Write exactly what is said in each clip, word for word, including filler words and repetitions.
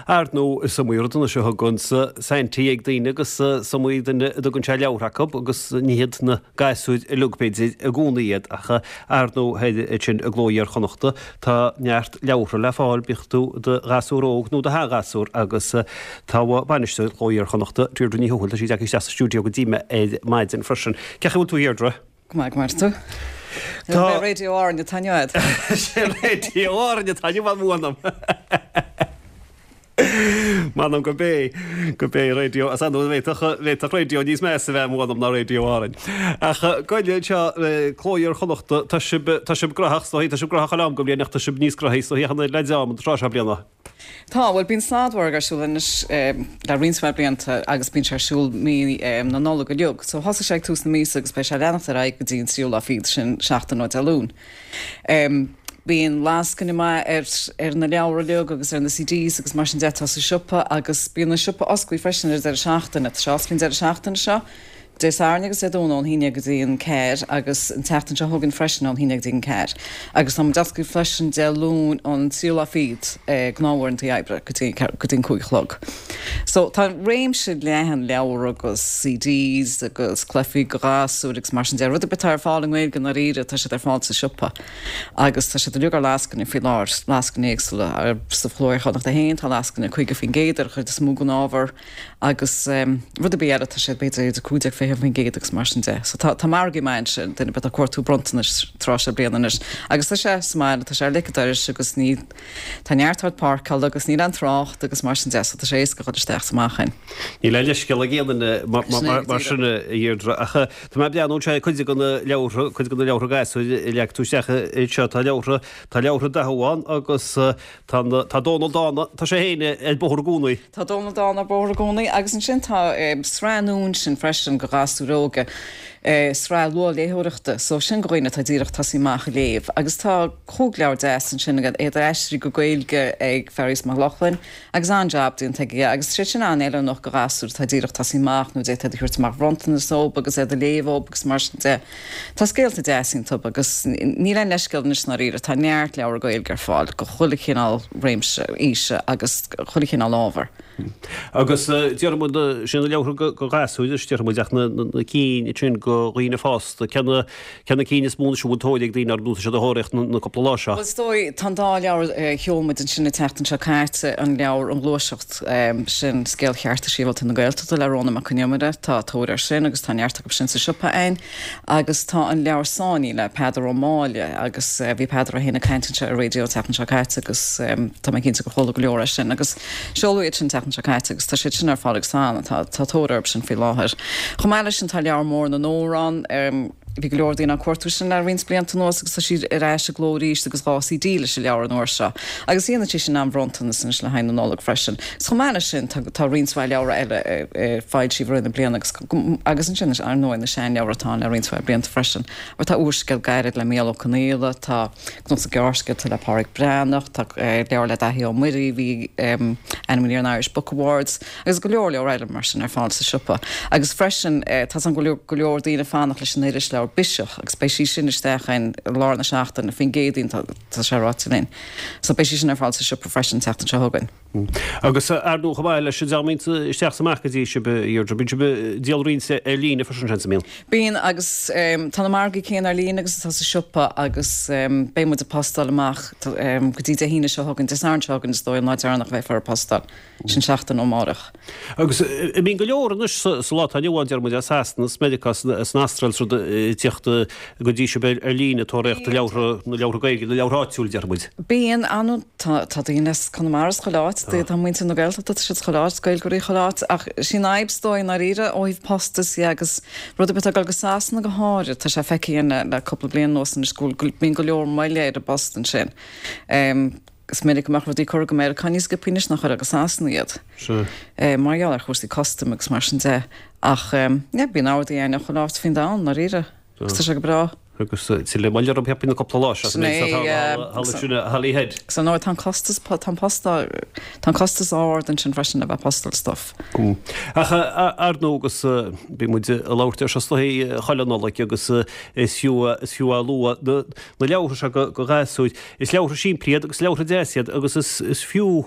Ar ndóigh is iomaí rud anois a thugann Saintí ag daoine agus is iomaí duine a dtugann sé leabhar acu agus ní hiad na gasúir uilig b'fhéidir i gcónaí iad ach ar ndóigh ansin i gCló Iar-Chonnachta tá neart leabhartha le fáil bíodh tú i do ghasúr óg nó do sheanghasúr agus tá bainisteoir Chló Iar-Chonnachta Deirdre Ní Thuathail tá sí tagtha isteach sa stiúideo go dtí mé ar maidin freisin. Cén chaoi a bhfuil tú a Dheirdre? Go maith go maith tú. Tá Radio Árann atá inniu. Sé Radio Árann atá inniu m'anam. M'anam go bé go bé radio as an bhféadfadh radio níos measa bheith m'anam ná Radio Árann. Ach goile seo Cló Iar-Chonnachta tá sibh tá sibh gnóthach tá sibh gnóthach am go bliain ach tá sibh níos gnóthaí so le am an tráth seo bliana. Tá bhuel bíonn sladmhargadh ar siúl anois le roinnt mhaith blianta agus bíonn sé ar siúl mí na Nollag uilig. So thosaigh sé ag tús na míosa agus beidh sé ag leanacht ar aghaidh go dtí an tríú lá fichead sin seachtain ó Dé Luain. Um, bíonn lascaine maith ar, ar na leabhair uilig agus ar na CDs agus mar sin de atá sa siopa agus bíonn an siopa oscailte freisin ar deireadh seachtaine. Tá sé oscailte an deireadh seachtaine seo. Dé Sathairn agus Dé Domhnaigh ón haon déag go dtí an ceathair agus an tseachtain seo chugainn freisin ón haon déag go dtí an ceathair. Agus tá muid oscailte freisin Dé Luain an tríú lá fichead eh, gnáthuaireanta oibre go dtí go dtí an cúig a chlog. So tá réimse leathan leabhar agus CDs agus cluichí do ghasúir agus mar sin de rud ar bith atá ar fáil i nGaeilge ndáiríre tá siad ar fáil sa siopa. Agus tá siad uilig ar lascaine faoi láthair lascaine éagsúla ar sa Chló Iar-Chonnachta féin tá lascaine caoga faoin gcéad ar chuid is mó den ábhar agus um, rud ar bith eile tá siad b'fhéidir idir cúig déag fiche faoin gcéad agus mar sin de. So tá tá margaí maith sin duine atá ag cuartú bronntanais tráth seo bliana anois. Agus tá sé sa mbaile tá sé ar leic an dorais agus ní tá neart áit páirceála agus níl aon trácht agus mar sin de, so tá sé éasca dul isteach is amach ann. Níl aon leithscéal ag aon duine mar sin a Dheirdre ach tá mé ag breathnú sé cuid de na leabhartha cuid de na leabhartha gasúir a leag tú isteach seo tá leabhartha tá leabhartha Dathú ann agus tá tá Dónal Dána tá sé féin ar bóthar i gcónaí. Tá Dónal Dána ar bóthar i gcónaí agus ansin tá um, sraith nua sin freisin go ghasúir óga. Eh, sraith luathléitheoireachta, so sin go dhaoine atá díreach tosaí amach ag léamh. Agus tá cúig leabhar deas ansin iad aistrithe go Gaeilge ag Fearghas Mac Lochlainn agus an-jab déanta aige agus sé sin an-fheiliúnach go ghasúr atá díreach tosaí amach nó d'fhéadfá a thabhairt mar bhronntanas dóibh agus iad a léamh dóibh agus mar sin de. Tá scéalta deas iontu agus níl aon leithscéal anois ndáiríre tá neart leabhar Gaeilge ar fáil go chuile chineál réimse aoise agus chuile chineál ábhar. Agus déarfaidh muid sin na leabhartha go gasúir is déarfaidh muid ach na na cinn sin go dhaoine fásta cé na cé na cinn is mó a bhfuil tóir ag daoine ar nó siad a thóraíocht na cúpla lá seo. Well is dóigh tá an dá leabhar a sheol muid ansin an tseachtain seo caite an leabhar an Ghluaiseacht sin scéal chearta sibhialta na Gaeltachta le Rónán Mac Con Iomaire tá tóir air sin agus tá neart acu sin sa siopa ann agus tá an leabhar Sáinní le Peadar Ó Máille agus bhí Peadar é féin ag caint anseo ar raidió an tseachtain seo caite agus tá mé cinnte gur chuala go leor é sin agus seoladh iad sin an tseachtain seo caite agus tá siad sin ar fáil agus tá tá tóir orthu sin faoi láthair. Chomh maith leis sin tá leabhar mór na n-amhrán bhí go leor daoine ag cuartú sin le roinnt blianta anuas agus tá siad ar ais i gcló arís agus dhá CD leis an leabhar an uair seo. Agus dhéanann sé sin an-bhronntanas anois le haghaidh na Nollag freisin. Is chomh maith leis sin tá roinnt mhaith leabhar eile foilsithe i rith na bliana agus agus ansin ar ndóigh na seanleabhair atá le roinnt mhaith blianta freisin. Mar tá úrscéal gairid le Mícheál Ó Conghaile, tá cnuasach gearrscéalta le Pádraic Breathnach, tá leabhar le Daithí Ó Muirí, bhí ainmnithe ar an Irish Book Awards, agus go leor leor eile mar sin ar fáil sa siopa. Agus freisin tá an go leor daoine fanacht leis an irisleabhar Biseach agus beidh sí sin isteach in lár na seachtaine faoin gCéadaoin tá sé ráite linn. So beidh sí sin ar fáil sa siopa freisin tseachtain seo chugainn. Agus ar ndóigh chomh maith leis an dream isteach is amach go dtí sibh Deirdre, bíonn sibh ag díol roinnt ar líne freisin sin sa mbíonn. Bíonn agus tá na margaí céanna ar líne agus atá sa siopa agus beidh muid ag postáil amach go dtí Dé hAoine seo chugainn, Dé Sathairn seo chugainn is dóigh an lá deireanach a bheifear ag postáil. Sin seachtain ó amárach. Agus bíonn go leor anois sa lá atá inniu ann déarfaidh muid as Sasana, as Meiriceá, as an Astráil is rud ag tíocht go dtí sibh ar líne ag tóraíocht leabhartha na leabhartha Gaeilge, na leabhartha áitiúil déarfaidh muid. Bíonn an tá tá daoine as Conamara is chuile áit, tá muintir na Gaeltachta tá siad chuile áit, Gaeilgeoirí chuile áit, ach sin fhadhb is dóigh i ndáiríre ó thaobh postas dhe agus rud ar bith atá ag dul go Sasana go háirid, tá sé feicthe againn le le cúpla bliain anuas anois go bhfuil bíonn go leor moille ar an bpost ansin. Is minic go mbeadh rudaí curtha go Meiriceá níos sciobtha anois ná cuireadh go Sasana iad. Mar gheall ar chúrsaí custaim agus mar sin de. Ach yeah, bíonn ordaí againn ó chuile áit faoin domhan, ndáiríre. Agus tá sé go breá. Agus tuilleadh moille orthu cheapfainn na cúpla lá seo Sin é, sin Holyhead. So no tá costas tá post tá costas ard ansin freisin a bheith postáil stuff. Ach ar ndóigh agus bhí muid ag labhairt ar seo sna chuile Nollaig agus is fiú is fiú a lua na leabhartha seo go gasúir. Is leabhartha simplí iad agus leabhartha deas iad agus is fiú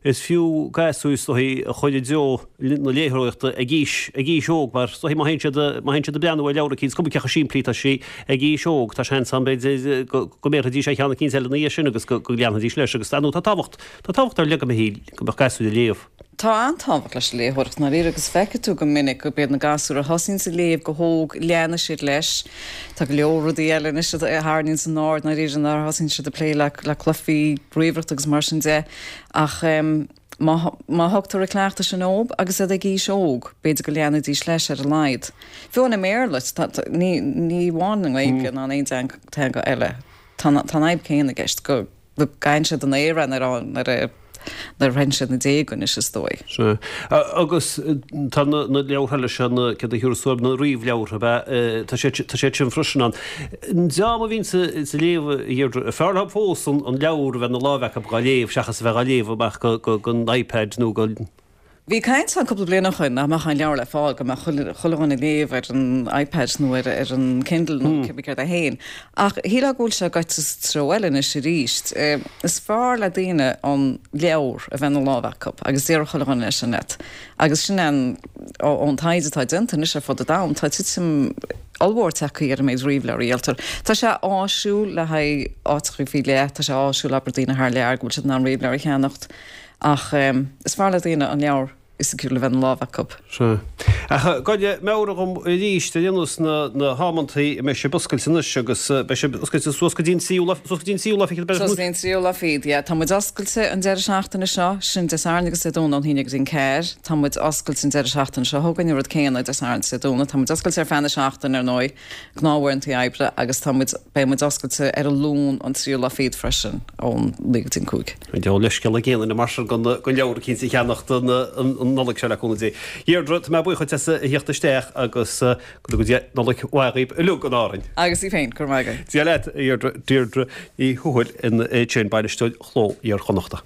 Is fiú gasúir is dóichí a chur i dtreo na léitheoireachta ag aois ag aois óg mar is dóichí má théann siad má théann siad ag breathnú ar leabhar eicínt, is cuma cé chomh simplí atá sé ag aois óg, tá seans ann b'fhéidir go go mbéarfaidís ar cheann eicínt eile ina dhiaidh sin agus go go leanfaidís leis agus ar ndóigh tá tábhacht tá tábhacht ar leith go mbeadh go mbeadh gasúir ag léamh. Tá an-tábhacht leis an léitheoireacht i ndáiríre agus feicfidh tú go minic gurb iad na gasúir a thosaíonns ag léamh go hóg, leanfaidh siad leis. Tá go leor rudaí eile anois a tharraingíonns a n-aird i ndáiríre nuair a thosaíonn siad ag plé le le cluichí ríomhaireachta agus mar sin de. Ach má má thugtar an cleachtadh sin dóibh agus iad ag aois óg, b'fhéidir go leanfaidís leis ar a laghad. Fiú amháin i mBéarla, ní ní amháin i nGaeilge ná in aon teanga eile, tá an tá an fhadhb céanna i gceist go go gcailleann siad an aer nuair a nuair a nuair a shroicheann siad na déaga anois is dóigh. Sea. Agus tá na leabhartha eile seo, na, céard a thiúrfas tú orthu, na ríomhleabhartha, ab ea? Tá siad, tá siad sin freisin ann. An dream a bhíonns ag léamh, a Dheirdre, fearr leo fós an leabhar a bheith ina láimh acu dhá léamh seachas a bheith dhá léamh amach gon iPad nó go. Bhí caint ann cúpla bliain ó shoin nach mbeadh aon leabhar le fáil, go mbeadh chuile dhuine ag léamh ar an iPad nó ar ar an Kindle nó cibé céard é féin. Ach shílfeá go bhfuil sé gaibhte sa treo eile anois arís. Is fearr le daoine an leabhar a bheith ina lámh acu agus déarfadh chuile dhuine leis sin leat. Agus sin é an ón taighde atá déanta anois ar fud an domhain, tá titim ollmhór tagtha ar an méid ríomhleabhar a dhíoltar. Tá sé áisiúil le haghaidh áiteacha faoi leith, tá sé áisiúil abair daoine thar lear go bhfuil siad in ann ríomhleabhar a cheannacht. Ach is fearr le daoine an leabhar fisiciúil a bheith ina lámh acu. Sea. Ach gabh meabhraigh dhom arís ar aon nós na hamantaí a mbeidh sibh oscailte anois agus beidh sibh oscailte suas go dtí an tríú lá, suas go dtí an tríú lá fichead, Suas go dtí an tríú lá fichead, yeah. Tá muid oscailte an deireadh seachtaine seo, sin Dé Sathairn agus Dé Domhnaigh ón haon déag go dtí an ceathair. Tá muid oscailte an deireadh seachtaine seo chugainn, an rud céanna, Dé Sathairn is Dé Domhnaigh. Tá muid oscailte ar feadh na seachtaine, ar ndóigh. Gnáthuaireanta oibre agus tá muid, beidh muid oscailte ar an Luan an tríú lá fichead freisin ón naoi go dtí an cúig. An diabhal leithscéal ag aon duine mar sin gan leabhar eicínt a cheannacht an Nollaig seo le cúnamh Dé. Deirdre, tá mé buíoch dhuit as a thíocht isteach agus go dtuga Dia Nollaig mhaith dhaoibh uilig in Árainn. Agus í féin, go raibh maith agat. Dia leat, a Dheirdre, Deirdre Ní Thuathail ansin, bainisteoir Chló Iar-Chonnachta.